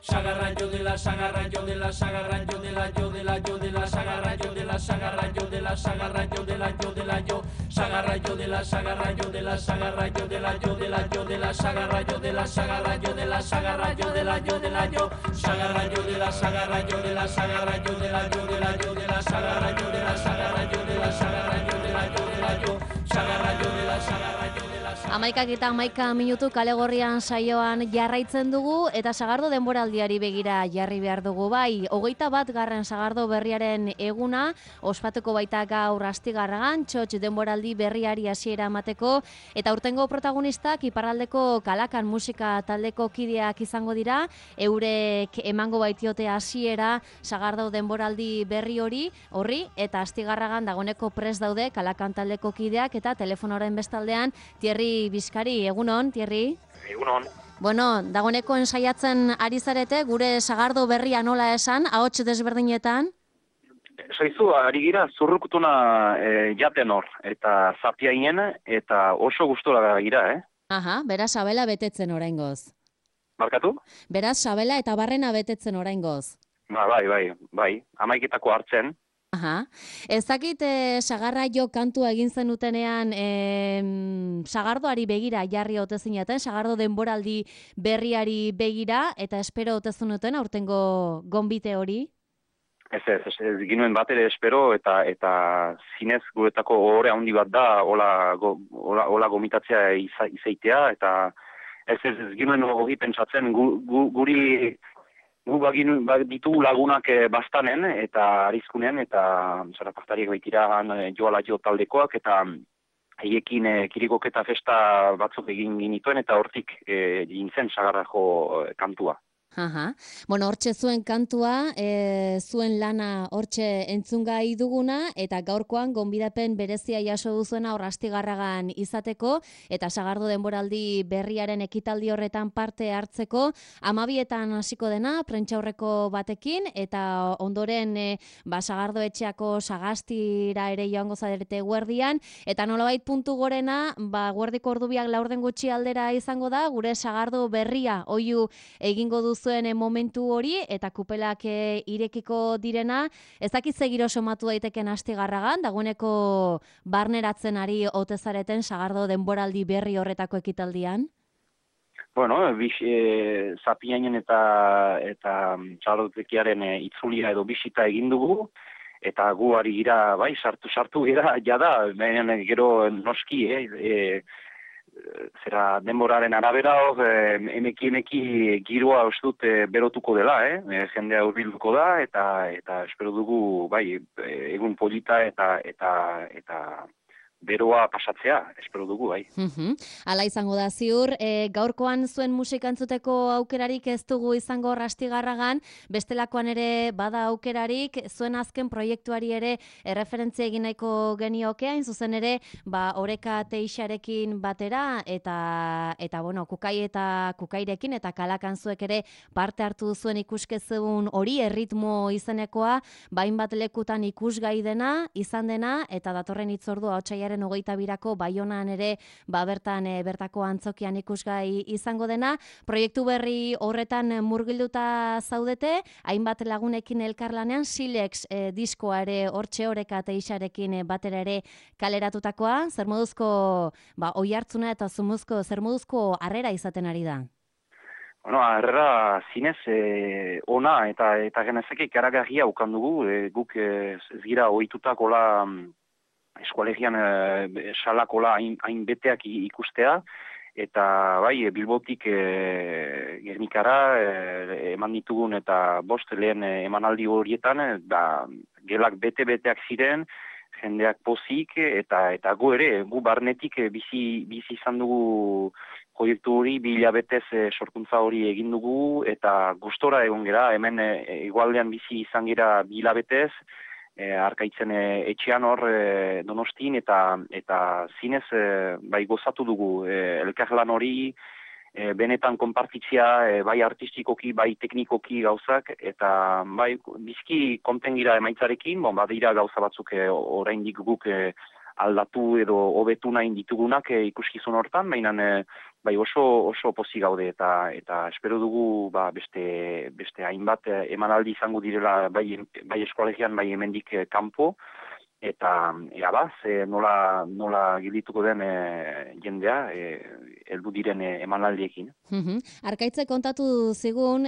sagarra yo de la sagarra yo de la sagarra yo de la yo de la yo de la sagarra yo de la sagarra yo de la sagarra yo de la yo de la yo sagarra yo de la sagarra yo de la sagarra yo de la yo de la yo de la sagarra yo de la sagarra yo de la sagarra yo de la yo de la yo sagarra yo de la sagarra yo de la sagarra yo de la yo de la yo de la sagarra yo de la sagarra yo de la sagarra yo de la yo de la yo sagarra yo de la sagarra yo de la 11:11 minutu Kale Gorrian saioan jarraitzen dugu eta Sagardo denboraldiari begira jarri behar dugu bai. 21. Sagardo berriaren eguna ospatuko baita gaur Astigarragan, txotx denboraldi berriari hasiera emateko eta urtengo protagonistak iparraldeko Kalakan musika taldeko kideak izango dira, eurek emango baitiote hasiera Sagardo denboraldi berri horri eta Astigarragan dagoneko prest daude Kalakan taldeko kideak eta telefonoren bestaldean Thierry Bizkari, egunon, Thierry? Egunon. Bueno, dagoeneko ensaiatzen ari zarete, gure Sagardo berria nola esan, ahots desberdinetan? Zaizu, ari gira zurrukutuna jaten hor, eta zapiainen, eta oso gustora gira, Aha, beraz sabela betetzen oraingoz. Barkatu? Beraz sabela eta barrena betetzen oraingoz. Bai, 11:00 hartzen. Aha. Ezakit Sagarra jo kantua egin zenutenean Sagardoari begira jarri ote zineten, Sagardo denboraldi berriari begira, eta espero ote zenuten aurtengo gonbite hori? Ez ginuen bat ere espero, eta zinez guretako ohore handi bat da, hola gomitatzea izaitea, eta ez ginuen hori pentsatzen guri gu ditu lagunak bastanen eta arizkunean eta zarapaktariek baitira joala jo taldekoak eta haiekin kirikoketa festa batzuk egin ginituen eta hortik gintzen Sagarrako kantua. Aha. Bueno, hortxe zuen kantua, zuen lana hortxe entzungai duguna, eta gaurkoan gonbidapen berezia jaso duzuena hor Astigarragan izateko, eta Sagardo denboraldi berriaren ekitaldi horretan parte hartzeko, 12:00 hasiko dena, prentsaurreko batekin, eta ondoren Sagardo etxeako sagastira ere joango zarete eguerdian, eta nolabait puntu gorena, eguerdiko ordubiak 4 gutxi aldera izango da, gure Sagardo berria oihu egingo duzu zuen momentu hori eta kupelak irekiko direna, ez dakit zegiro somatu daiteken Astigarragan, dagoeneko barneratzen ari ote zareten Sagardo denboraldi berri horretako ekitaldian? Bueno, zapiainen eta txalotekiaren itzulia edo bisita egin dugu, eta gu ari gira, bai, sartu gira, jada, gero noski, zera denboraren arabera emeki giroa ustut berotuko dela, jendea hurbilduko da eta espero dugu bai egun polita eta beroa pasatzea, espero dugu, bai. Hala izango da ziur, gaurkoan zuen musika entzuteko aukerarik ez dugu izango Astigarragan, bestelakoan ere bada aukerarik, zuen azken proiektuari ere erreferentzia egin nahiko genioke, hain zuzen ere, Oreka Teixarekin batera, eta bueno, Kukai eta Kukairekin, eta Kalakan zuek ere parte hartu zuen ikuskezun hori, erritmo izenekoa, bainbat lekutan ikusgai dena, izan dena, eta datorren hitzordua otsailaren 22ko Baionan ere bertako antzokian ikusgai izango dena. Proiektu berri horretan murgilduta zaudete, hainbat lagunekin elkarlanean Silex diskoa ere hortxe Oreka Teixarekin batera ere kaleratutakoa, zer moduzko oihartzuna eta zer moduzko harrera izaten ari da? Bueno, harrera zinez ona eta genezake ikaragarria ukan dugu, guk ez gira ohitutakola eskualegian salakola hain beteak ikustea, eta bai, Bilbotik Gernikara eman ditugun eta 5 lehen emanaldi horietan, gelak bete-beteak ziren, jendeak pozik, eta gu ere, gu barnetik bizi izan dugu proiektu hori, 2 hilabetez sorkuntza hori egin dugu, eta gustora egon gera, hemen igualdean bizi izan gera 2 hilabetez, Arkaitzen etxean hor Donostin eta zinez bai gozatu dugu elkarlan hori benetan konpartitzea bai artistikoki bai teknikoki gauzak eta bai bizki konten gira emaitzarekin, badira gauza batzuk oraindik guk aldatu edo hobetu nahi ditugunak ikuskizun hortan, baina bai oso pozik gaude eta espero dugu beste hainbat emanaldi izango direla bai eskolegian bai hemendik kanpo eta nola gildituko den jendea heldu diren emanaldiekin. Arkaitzek kontatu zigun,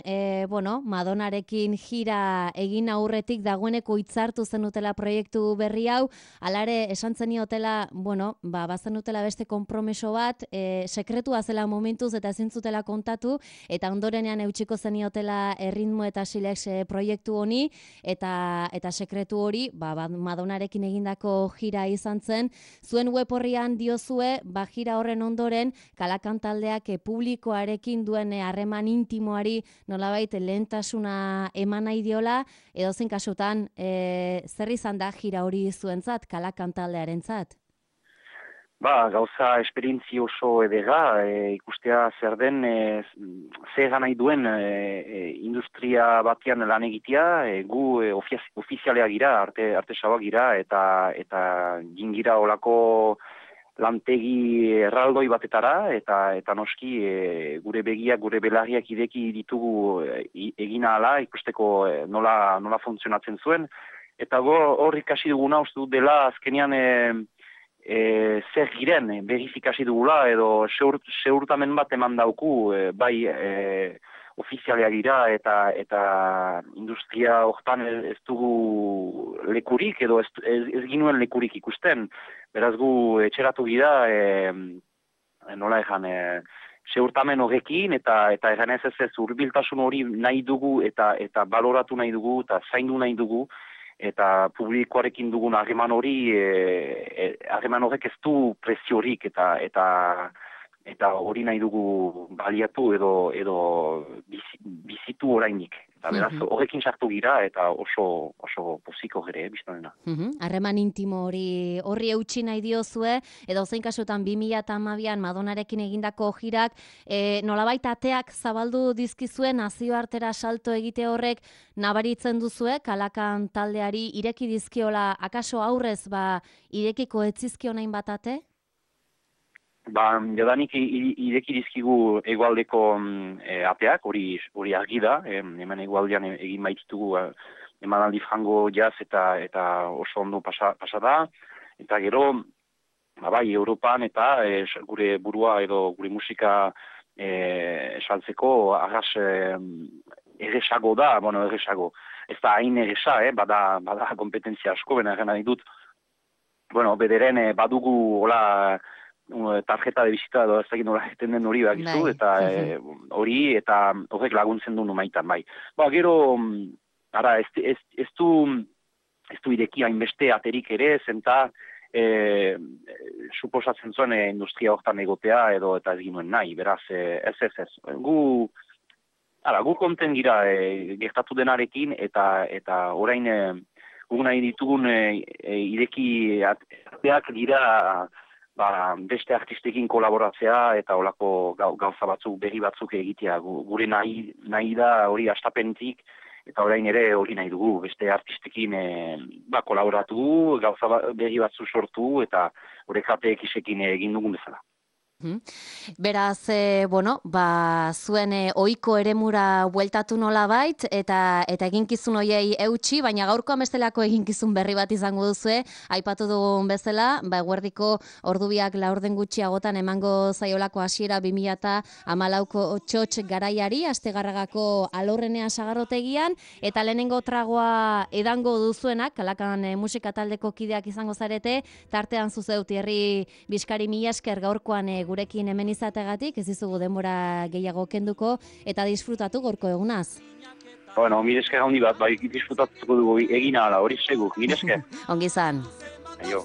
Madonarekin jira egin aurretik dagoeneko hitzartu zenutela proiektu berri hau, alare esan zeniotela, bazenutela beste konpromiso bat, sekretua zela momentuz eta ezin zutela kontatu, eta ondorenean eutsiko zeniotela erritmo eta silex proiektu honi, eta sekretu hori, Madonarekin egindako jira izan zen, zuen web horrian diozue, jira horren ondoren, Kalakan taldeak publikoarekin duen harreman intimoari nolabait lehentasuna eman nahi diola, edozein kasutan, zer izan da jira hori zuentzat, Kalakan taldearentzat? Gauza esperientzi oso edera, ikustea zer den, zer nahi duen industria batean lan egitea, gu ofizialea gira, arte sabak gira, eta gingira olako lantegi erraldoi batetara, eta noski gure begiak, gure belarriak ideki ditugu egina ala, ikusteko nola funtzionatzen zuen, eta hor ikasi duguna uste dut dela azkenean zer giren, verifikasi dugula, edo seurtamen bat eman dauku, ofizialea gira eta industria hortan ez dugu lekurik, edo ez ginuen lekurik ikusten. Beraz gu etxeratu gira, nola egan, seurtamen horrekin, eta egan ez hurbiltasun hori nahi dugu, eta baloratu nahi dugu, eta zaindu nahi dugu, eta publikoarekin dugun harreman horrek ez du preziorik, eta hori nahi dugu baliatu edo bizitu orainik. Eta beraz, horrekin sartu gira eta oso poziko gere, biztonena. Harreman intimo horri eutsi nahi diozue, edo zein kasutan 2012an Madonarekin egindako jirak, nolabait ateak zabaldu dizkizuen nazioartera salto egite horrek nabaritzen duzue, Kalakan taldeari ireki dizkiola, akaso aurrez irekiko etzizkio nahin bat ate? Jadanik ireki dizkigu egualdeko ateak, hori argi da, hemen egualdean egin baititugu emanaldi frango jaz eta oso ondo pasa da, eta gero, Europan eta gure burua edo gure musika esaltzeko arras erresago da, erresago, ez da hain erresa, bada kompetentzia asko, bena egin nahi dut, bederen badugu hola tarjeta de visita edo ez dakit nola egiten den hori bakizu, eta hori eta horrek laguntzen du numaitan, bai. Gero, ez du ireki hainbeste aterik ere, zenta suposatzen zuen industria hortan egotea edo eta ez ginuen nahi, beraz, ez. Gu konten gira gertatu denarekin eta orain gu nahi ditugun ireki ateak dira beste artistekin kolaboratzea eta olako gauza batzuk, berri batzuk egitea. Gure nahi da hori astapentik, eta orain ere hori nahi dugu, beste artistekin kolaboratu, gauza berri batzu sortu, eta horrek ateek isekin egin dugun bezala. Beraz, zuen ohiko eremura bueltatu nolabait eta eginkizun hoiei eutsi, baina gaurkoan bestelako eginkizun berri bat izango duzue, aipatu dugun bezala, eguerdiko ordubiak laurden gutxiagotan emango zaiolako hasiera 2014ko txotx garaiari, Astegarragako Alorrenea sagardotegian, eta lehenengo tragoa edango duzuenak, Kalakan musika taldeko kideak izango zarete, tartean zuzeu Thierry Bizkari mila esker gaurkoan gurekin hemen izategatik, ez dizugu denbora gehiago kenduko, eta disfrutatu gorko egunaz. Mila esker handi bat, disfrutatuko dugu egina ala, hori segu, mila esker. Ongi izan. Aio.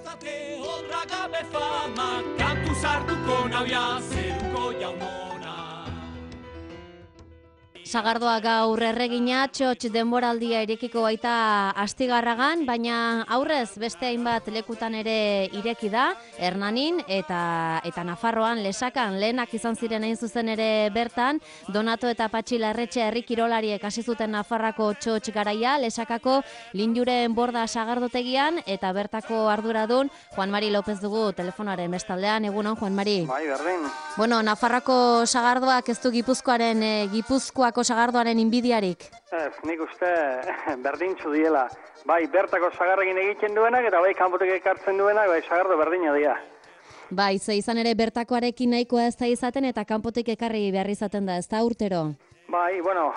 Sagardoa gaur erregina, txotx denboraldia irekiko baita Astigarragan, baina aurrez beste hainbat lekutan ere ireki da, Hernanin eta Nafarroan, Lesakan, lehenak izan ziren hain zuzen ere bertan, Donato eta Patxi Larretxe herri kirolariek hasi zuten Nafarrako txotx garaia, Lesakako Linjuren borda sagardotegian, eta bertako arduradun Juan Mari López dugu telefonaren bestaldean. Egunon, Juan Mari. Bai, berdin. Bueno, Nafarrako sagardoak ez du Gipuzkoako sagardoaren inbidiarik? Ez, nik uste berdintzu diela. Bai, bertako sagarrekin egiten duenak, eta bai, kanpotik ekartzen duenak, bai, sagardo berdina dira. Bai, ze izan ere bertakoarekin nahikoa ez da izaten, eta kanpotik ekarri behar izaten da, ez da urtero? Bai, bueno,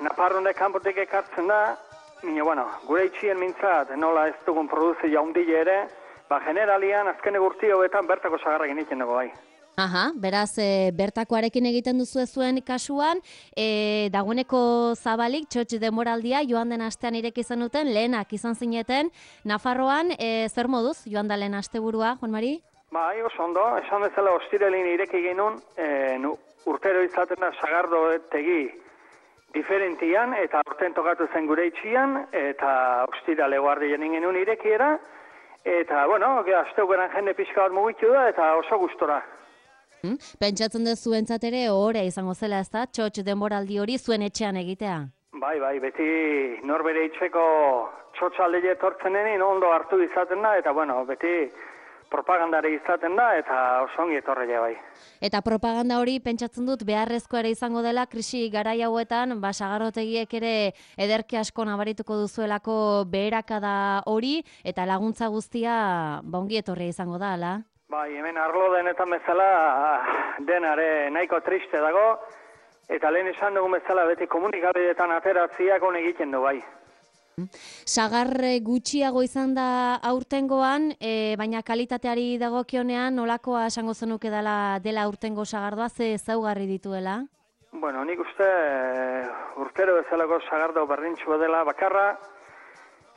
Nafarroa kanpotik ekartzen da, baina, bueno, gure itxien mintzat, nola ez dugun produzi jaundile ere, ba, generalian, azken egurti hobetan bertako sagarrekin egiten dugu, bai. Aha, beraz, bertakoarekin egiten duzu zuen kasuan, dagoeneko zabalik, txotx denboraldia, joan den astean ireki izan duten, lehenak izan zineten, Nafarroan, zer moduz, joan da lehen asteburua, Juan Mari? Bai, oso ondo, esan bezala ostirelin ireki genuen, urtero izaten da sagardo tegi diferentian, eta urten tokatu zen gure itxian, eta ostirale guardian genuen irekiera, eta, bueno, asteukeran jende pixka bat mugitu da, eta oso gustora. Pentsatzen dut zuentzat ere ohore izango zela, ez da, txotx denboraldi hori zuen etxean egitea? Bai, beti norbere itxeko txotxaldeia etortzen denin ondo hartu izaten da, eta bueno, beti propagandare izaten da, eta oso ongi etorreia bai. Eta propaganda hori pentsatzen dut beharrezko ere izango dela krisi garai hauetan, sagardotegiek ere ederki asko nabarituko duzuelako beherakada hori, eta laguntza guztia ongi etorria izango da, ala? Bai, hemen arlo denetan bezala denare nahiko triste dago, eta lehen esan dugun bezala beti komunikabideetan ateratziak on egiten du bai. Sagar gutxiago izan da aurtengoan, baina kalitateari dagokionean nolakoa esango zenuke dela aurtengo sagardoa, ze ezaugarri dituela? Bueno, nik uste urtero bezalako sagardo berdintxua dela bakarra,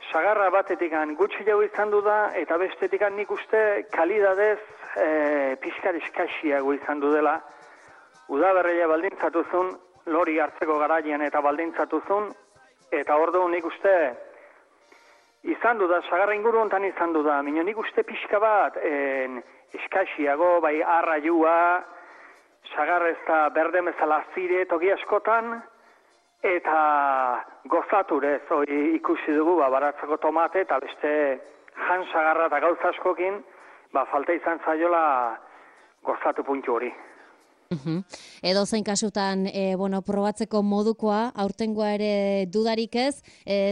sagarra batetikan gutxi jau izan du da, eta bestetikan nik uste kalidadez pixkar eskaxiago izan du dela. Udaberria baldintzatuzun, lori hartzeko garaian eta baldintzatuzun, eta orduan nik uste izan du da, sagarra inguru hontan izan du da, minio nik uste pixka bat eskaxiago, bai arraiua, sagarra ez da berde mezala zire toki askotan, eta gozaturez ikusi dugu baratzeko tomate eta beste jan sagarra eta gauza askokin falta izan zaiola gozatu puntu hori. Edo zein kasutan, probatzeko modukoa, aurtengoa ere dudarik ez,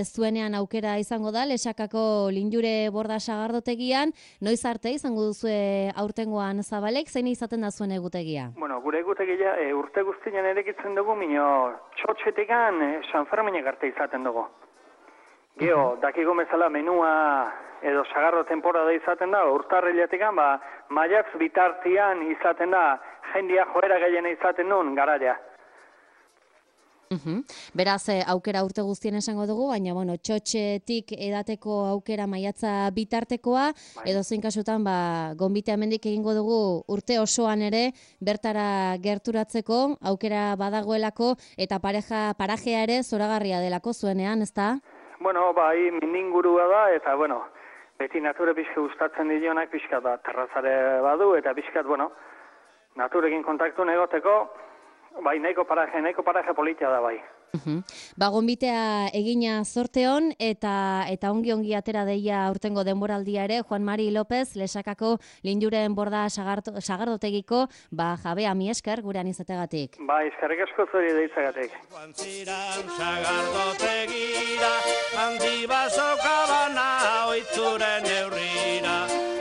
zuenean aukera izango da, Lesakako Linjure borda sagardotegian, noiz arte izango duzue aurtengoan zabalek, zein izaten da zuen egutegia? Bueno, gure egutegia urte guztian erekitzen dugu, minio txotxetikan San Ferminek arte izaten dugu. Geo, dakigo bezala menua edo sagardo temporada izaten da, urtarriletikan, maiatz bitartian izaten da, jendia joera gehiena izaten duen garaia. Beraz, aukera urte guztien esango dugu, baina, txotxetik edateko aukera maiatza bitartekoa, edo zein kasutan, gonbitea mendik egingo dugu urte osoan ere, bertara gerturatzeko, aukera badagoelako, eta parajea ere zoragarria delako zuenean, ezta? Bueno, bai, mindingurua da, eta, beti nature pixka gustatzen dionak pixka da, terrazare badu, eta pixka, naturekin kontaktu negoteko, bai, nahiko paraje politia da, bai. Gonbitea egina zorteon, eta ongi atera deia aurtengo denboraldia ere, Juan Mari López, Lesakako Linjuren borda sagardotegiko, jabea mi esker gurean izategatik. Eskerrik asko zuri deizagatik. Guantziran sagardotegira, handi basokabana oitzuren eurrira.